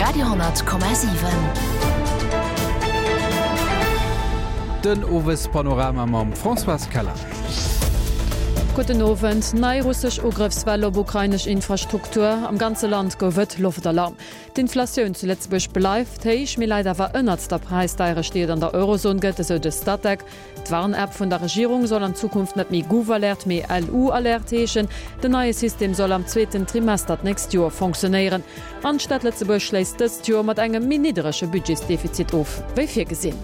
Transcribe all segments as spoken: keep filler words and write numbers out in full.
Radio honnert Komma siwen. Den Owespanorama mam Françoise Keller. Gudden Owend. Nei russesch Ugrëffswell op ukrainesch Infrastruktur, am ganze Land gouf et Loftalarm. D'Inflatioun zu Lëtzebuerg bleift héich, mee läit awer ënnert der Präisdeierecht, déi et an der Eurozon gëtt, esou de Statec. D'Warn-App vun der Regierung soll an Zukunft net méi GouvAlert, mee LU-Alert heeschen. Den neie System soll am zweeten Trimester d'nächst Joer fonctionéieren. An d'Stad Lëtzebuerg schléisst dëst Joer mat engem méi nidderege Budgetsdefizit of wéi virgesinn.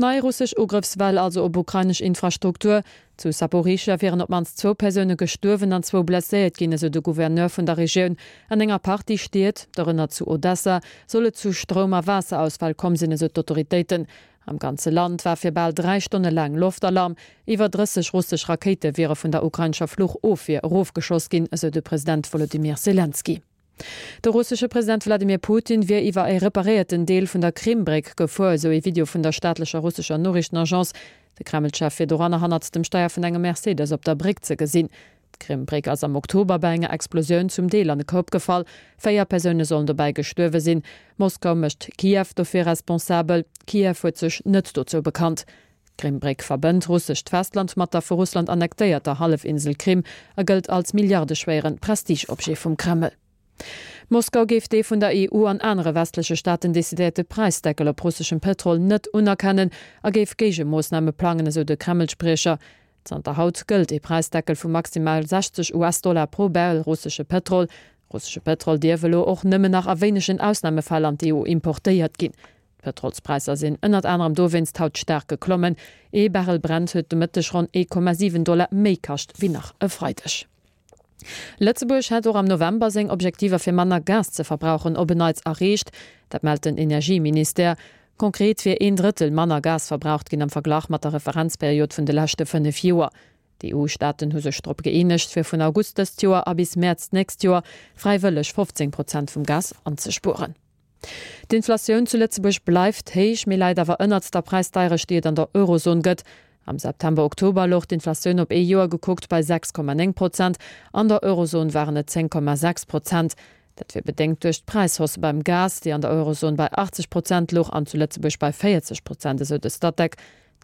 Nei russesch Ugrëffswell also op ukrainesch Infrastruktur. Zu Saporischschja wieren op d'mannst zwou Persoune gestuerwen an zwou blesséiert ginn, esou de Gouverneur vun der Regioun. An enger Partie Stied, dorënner zu Odessa, soll et zu Stroum a Waasserausfäll komm sinn, esou d'Autoritéiten. Am ganze Land war fir bal dräi Stonne laang Loftalarm. Iwwer drësseg russesch Rakéite wiere vun der ukrainescher Fluchofwier erofgeschoss ginn, esou de President Wolodymyr Selenskyj. De russesche President Wladimir Putin wier iwwer e reparéierten Deel vun der Krim-Bréck gefuer, esou ee Video vun der staatlecher russescher Noriichtenagence. De Kreml-Chef wier doranner hannert dem Steier vun engem Mercedes op der Bréck ze gesinn. D'Krim-Bréck ass am Oktober bei enger Explosioun zum Deel an e Koup gefall. Véier Persoune sollen dobäi gestuerwe sinn. Moskau mécht Kiew dofir responsabel. Kiew huet sech net dozou bekannt. D'Krim-Bréck verbënnt russescht Festland mat der vu Russland annektéierter Hallefinsel Krim a gëllt als milliardeschwéiere Prestigeobjet vum Kreml. Moskau géif dee vun der E U an anere westleche Staaten decidéierte Präisdeckel op russeschem Pëtrol net unerkennen a géif Géigemoossname plangen, esou de Kreml-Spriecher. Zanter haut gëllt ee Präisdeckel vu maximal sechzeg U S-Dollar pro Barrel russesche Pëtrol. Russesche Pëtrol dierf elo och nëmmen nach a wéinegen Ausnamefäll an d'E U importéiert ginn. D'Pëtrolspräisser sinn ënnert anerem dowéinst haut staark geklommen. Ee Barrel Brent huet de Mëtteg ronn ee Komma siwen Dollar méi kascht wéi nach e Freideg. Lëtzebuerg hätt och am November seng Objektiver fir manner Gas ze verbrauchen op en Neits erreecht. Dat mellt den Energieministère. Konkret wier een Drëttel manner Gas verbraucht ginn am Verglach mat der Referenzperiod vun de leschte fënnef Joer. D'E U-Staaten hu sech drop gëeenegt, fir vun August dëst Joer a bis Mäerz d'nächst Joer fräiwëlleg fofzéng Prozent vum Gas anzespueren. D'Inflatioun zu Lëtzebuerg bleift héich, mee läit awer ënnert der Präisdeierecht, déi et an der Eurozon gëtt. Am September-Oktober louch d'Inflatioun op ee Joer gekuckt bei sechs Komma néng Prozent, an der Eurozon waren et zéng Komma sechs Prozent. Dat wier bedéngt duerch d'Präishausse beim Gas, déi an der Eurozon bei achtzeg Prozent louch an zu Lëtzebuerg bei véierzeg Prozent, esou de Statec.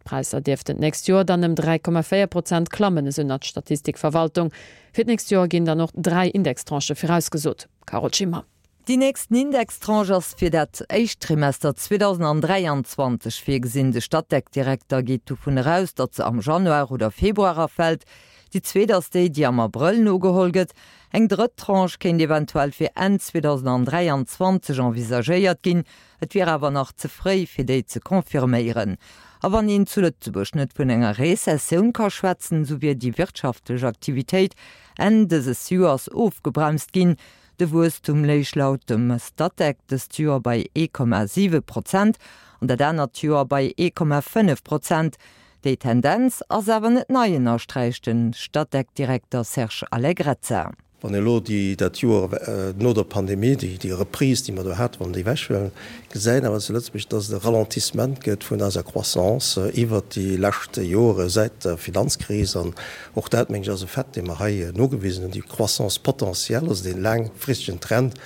D'Präisser dierften d'nächst Joer dann ëm dräi Komma véier Prozent klammen, esou nach d'Statistikverwaltung. Fir d'nächst Joer ginn dann och dräi Indextranchë virausgesot. Carole Schimmer. Déi nächsten Indextranche ass fir dat éischt Trimester zweitausenddräiundzwanzeg virgesinn. De Statec-Direkter geet dovun eraus, datt se am Januar oder Februar erfält. Déi zweet ass déi, déi am Abrëll nogeholl gëtt. Eng drëtt Tranche kéint eventuell fir Enn zweitausenddräiundzwanzeg envisagéiert ginn. Et wier awer nach ze fréi, fir déi ze confirméieren. A wann een zu Lëtzebuerg net vun enger Rezessioun ka schwätzen, so wier déi wirtschaftlech Aktivitéit Enn dëses Joers ofgebremst ginn. De Wuesstum léich laut dem Statec dëst Joer bei ee Komma siwe Prozent an dat anert Joer bei ee Komma fënnef Prozent. Déi Tendenz ass awer net nei, ënnersträicht den Statec-Direkter Serge Allegrezza. Wann elo déi, dat Joer, äh, no der Pandemie, déi, déi Reprise, déi mer do haten, wann déi wechhuelen, gesäit awer zu Lëtzebuerg, dass et e Ralentissement gëtt vun eiser Croissance, äh, iwwer déi leschte Jore seit der Finanzkris. An och dat, meng ich, ass e Fait, dee mer hei nogewisen hunn, déi Croissance potentielle, also den laangfristegen Trend,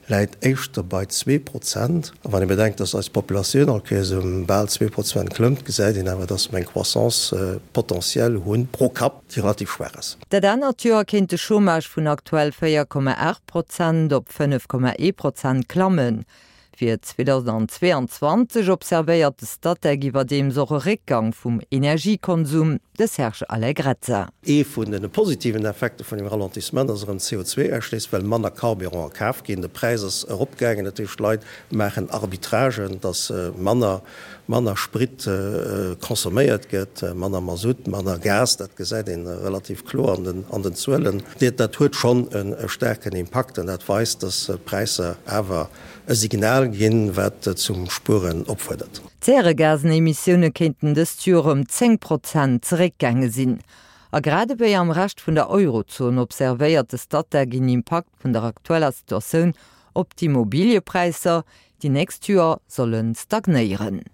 läit éischter bei zwee Prozent. A wann ee bedenkt, dass eis Populatioun all Kéiers um bal zwee Prozent klëmmt, gesäit een awer, dass mer eng Croissance, äh, potentielle hunn pro Kapp, déi relativ schwach ass. Dat anert Joer kéint de Chômage vun aktuell véier Komma acht Prozent op fënnef Komma ee Prozent klammen. Fir zweitausendzweiundzwanzeg observéiert de Statec iwwerdeems och e Réckgang vum Energiekonsum, de Serge Allegrezza. Ee vun den positiven Effekte vun dem Ralentissement ass erëm C O zwei Ausstoss, well manner Carburant kaf ginn. De Präis ass eropgaangen, dat heescht, d'Leit maachen Arbitragen, dass, äh, manner, manner Sprit, äh, consomméiert gëtt, äh, manner Mazout, manner Gas, dat gesäit een relativ kloer an den, an den Zuelen. Dat, dat huet schonn en, e staarken Impakt an dat weist, dass d'Präisser awer e Signal ginn, wat zum Spueren opfuerdert. D'Zäregasenemissioune kéinten dëst Joer ëm zéng Prozent zeréckgaange sinn. A grad ewéi am Rescht vun der Eurozon observéiert de Statec een Impakt vun der aktueller Situatioun op d'Immobiliepräisser, déi nächst Joer sollen stagnéieren.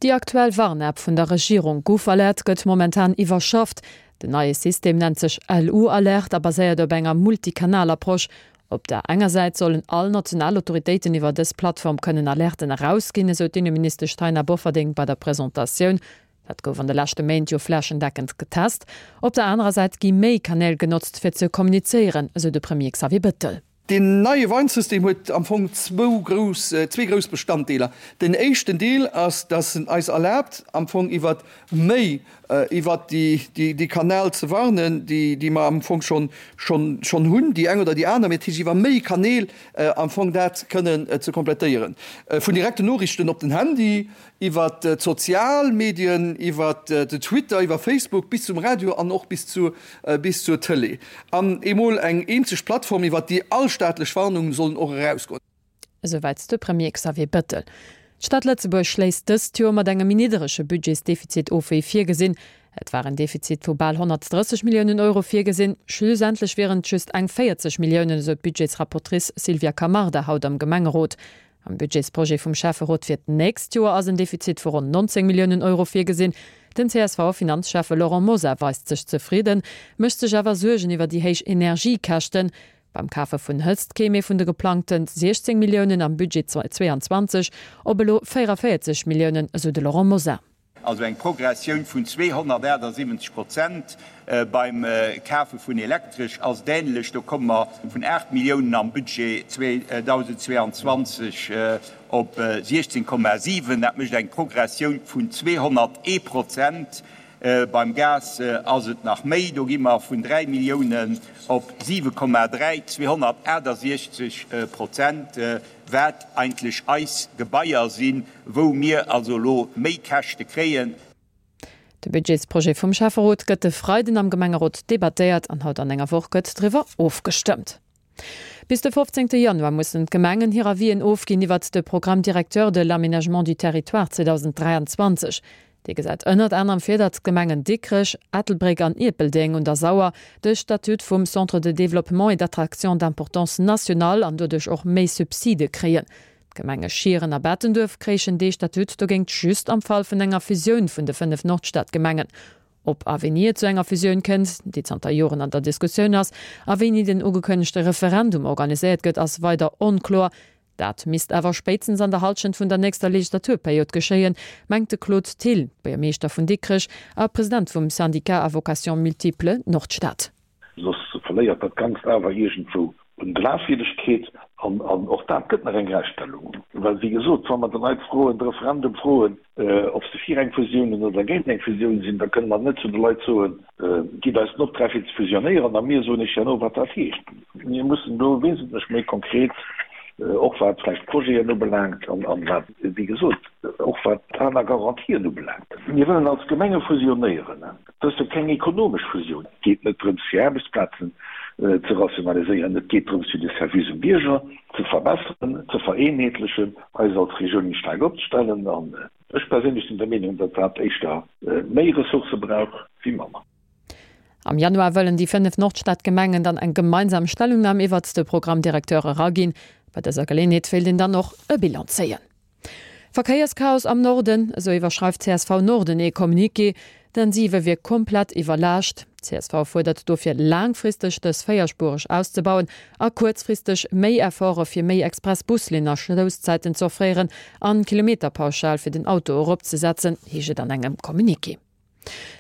Déi aktuell Warn-App vun der Regierung GouvAlert gëtt momentan iwwerschafft. Den neie System nennt sech L U-Alert a baséiert op enger Multikanal-Approche. Op der enger Säit sollen all national Autoritéiten iwwer dës Plattform kënnen Alerten erausginn, esou d'Inneministesch Taina Bofferding bei der Presentatioun. Dat gouf an de leschte Méint jo flächendeckend getest. Op der anerer Säit gi méi Kanäl genotzt fir ze kommunizéieren, esou de Premier Xavier Bettel. Deen neie Warnsystem huet am Fong zwou grouss, zwee grouss Bestanddeeler. Den éischten Deel ass, dass en eis erlaabt, am Fong iwwer méi iwwert déi Kanäl ze warnen, déi mer am Fong schonn hunn, déi eng oder déi aner, mee dat heescht iwwer méi Kanäl am Fong dat kënnen ze komplettéieren, vun direkten Noriichten op den Handy, iwwer d'sozial Medien, iwwer den Twitter, iwwer Facebook bis zum Radio an och bis zur Tëlee. An emol eng eenzeg Plattform, iwwer déi all staatlech Warnungen sollen och erausgoen. Esouwäit de Premier Xavier Bettel. D'Stad Lëtzebuerg schléisst dëst Joer mat engem méi nidderege Budgetsdefizit of wéi virgesinn. Et war en Defizit vu bal honnertdrësseg Milliounen Euro virgesinn, schlussendlech wieren et just eng véierzeg Milliounen, esou d'Budgetsrapportrice Sylvia Camarda haut am Gemengerot. Am Budgetsprojet vum Schäfferot fir d'nächst Joer ass en Defizit vu ronn nonzéng Milliounen Euro virgesinn. Den C S V-Finanzschäffe Laurent Mosar weist sech zefridden, mécht sech awer Suergen iwwer déi héich Energiekäschten. Beim Kafe vun Hëtzt kéim ee vun de geplangte siechzéng Milliounen am Budget zweeanzwanzeg op elo véierevéierzeg Milliounen, esou de Laurent Mosar. Also eng Progressioun vun zweehonnertaachtsiwwenzeg Prozent. Beim Kafe vun Elektresch ass et änlech, do komme mer vun aacht Milliounen am Budget zweedausendzweeanzwanzeg op siechzéng Komma siwen. Dat mécht eng Progressioun vun zweehonnertee Prozent. Beim Gas ass et nach méi, do gi mer vun dräi Milliounen op siwe Komma dräi, zweehonnertaachtsiechzeg Prozent, wat eigentlech eis Gebaier sinn, wou mir also elo méi Käschte kréien. De Budgetsprojet vum Schäfferot gëtt e Freiden am Gemengerot debattéiert an haut an enger Woch gëtt driwwer ofgestëmmt. Bis de fofzéngte Januar mussen d'Gemengen hir Avisen ofginn iwwert de Programme directeur de l'aménagement du territoire zweedausenddräianzwanzeg. Dee gesäit ënnert anerem vir, datt d'Gemengen Dikrech, Ettelbréck an Ierpeldeng un der Sauer de Statut vum Centre de développement et d'attraction d'importance nationale an doduerch och méi Subside kréien. D'Gemenge Schieren a Bettenduerf kréichen dee Statut dogéint just am Fall vun enger Fusioun vun de fënnef Nordstadgemengen. Ob a wéini et zu enger Fusioun kënnt, déi zanter Joren an der Diskussioun ass, a wéini den ugekënnegte Referendum organiséiert gëtt, ass weider onkloer. Dat misst awer spéitstens an der Hallschent vun der nächster Legislaturperiod geschéien, mengt de Claude Thill, Buergermeeschter vun Dikrech a President vum Syndicat à vocations multiples Nordstad. Soss verléiert dat Ganzt awer iergendwou un Glafwierdegkeet. An och dat gëtt nach eng Gräichstellung. Well, wéi gesot, wa mer de Leit froen, de Referendum froen, ob se fir eng Fusioun oder géint eng Fusioun sinn, da kënne mer net zu de Leit soen, Gitt eis den Optrag fir ze fusionéieren a mir soen iech herno, wat dat heescht. Mir mussen do wesentlech méi konkret, och wat vläicht Projeten ubelaangt an wat, wéi gesot, och wat aner Garantien ubelaangt. Mir wëllen als Gemenge fusionéieren. Dat ass jo keng ekonomesch Fusioun. Et geet net drëms, fir Aarbechtsplazen ze rationaliséieren. Et geet drëms, fir de Service um Bierger ze verbesseren, ze vereenheetlechen, eis als Regioun méi staark opzestellen. An ech perséinlech sinn der Meenung, datt dat éischter méi Ressourcë brauch wéi manner. Am Januar wëllen déi fënnef Nordstadgemengen dann eng gemeinsam Stellungnam iwwert de Programme directeur eraginn. Bei dëser Geleeënheet wéilt een dann och e Bilan zéien. Verkéierschaos am Norden, esou iwwerschreift csv Norden ee Communiqué. Den siwe wier komplett iwwerlaascht. Csv fuerdert dofir laangfristeg dës véierspuereg auszebauen a kuerzfristeg méi Efforte fir méi Express-Buslinnen a Schlousszäiten ze offréieren an d'Kilometerpauschal fir den Auto eropzesetzen, heescht et an engem Communiqué.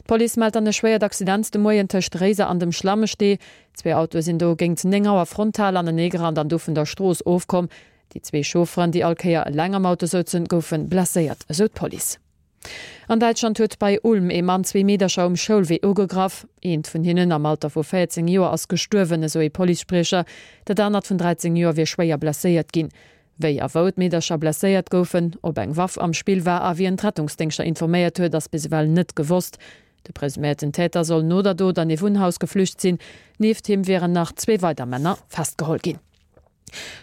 D'Police mellt dann e schwéiert Accident de Moien tëscht Réiser an dem Schlammestee. Zwee Autoe sinn do géint néng Auer frontal anenee gerannt an du vun der Strooss ofkomm. Déi zwee Chaufferen, déi all Kéier eleng am Auto souzen, goufe blesséiert, esou d'Police. An Däitschland huet bei Ulm ee Mann zwee Meedercher um Schoulwee ugegraff. Eent vun hinnen am Alter vu véierzéng Joer ass gestuerwen, esou ee Policespriecher. Dat anert vun dräizéng Joer wier schwéier blesséiert ginn. Wéi a wou d'Meedercher blesséiert goufen, ob eng Waff am Spill war a wien d'Rettungsdéngschter informéiert huet, ass bis ewell net gewosst. De presuméierten Täter soll no der Dot an ee Wunnhaus geflücht sinn. Nieft him wieren nach zwee weider Männer festgeholl ginn.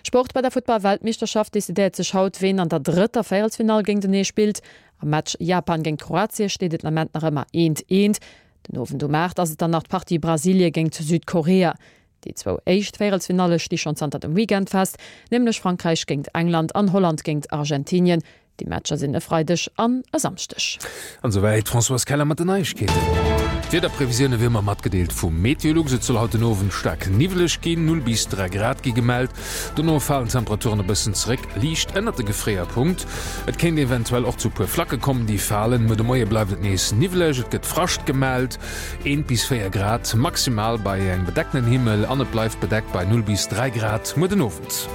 Sport, Bei der Futtball-Weltmeeschterschaft decidéiert sech haut, ween an der drëtter Véierelsfinall géintenee spillt. Am Match Japan géint Kroatie steet et den Ament nach ëmmer eent, eent. Den Owend um aacht ass et dann nach d'Partie Brasilie géint Südkorea. Déi zwou éischt Véierelsfinalle sti schonn zanter dem Weekend fest, nämlech Frankräich géint England an Holland géint Argentinien. Déi Matcher sinn e Freideg an e Samschdeg. An esouwäit d'Françoise Keller mat den Neiegkeeten. D'Wiederprevisioune wéi ëmmer matgedeelt vu Meteolux. Et soll haut den Owend staark niwweleg ginn, null bis dräi Grad gi gemellt. Dono falen d'Temperaturen e bëssen zeréck, liicht ënnert de Gefréierpunkt. Et kéint eventuell och zu puer Flacke kommen, déi falen. Muer de Moie bleift et nees niwweleg, et gëtt Frascht gemellt, eent bis véier Grad maximal bei engem bedeckten Himmel an et bleift bedeckt bei null bis dräi Grad muer den Owend.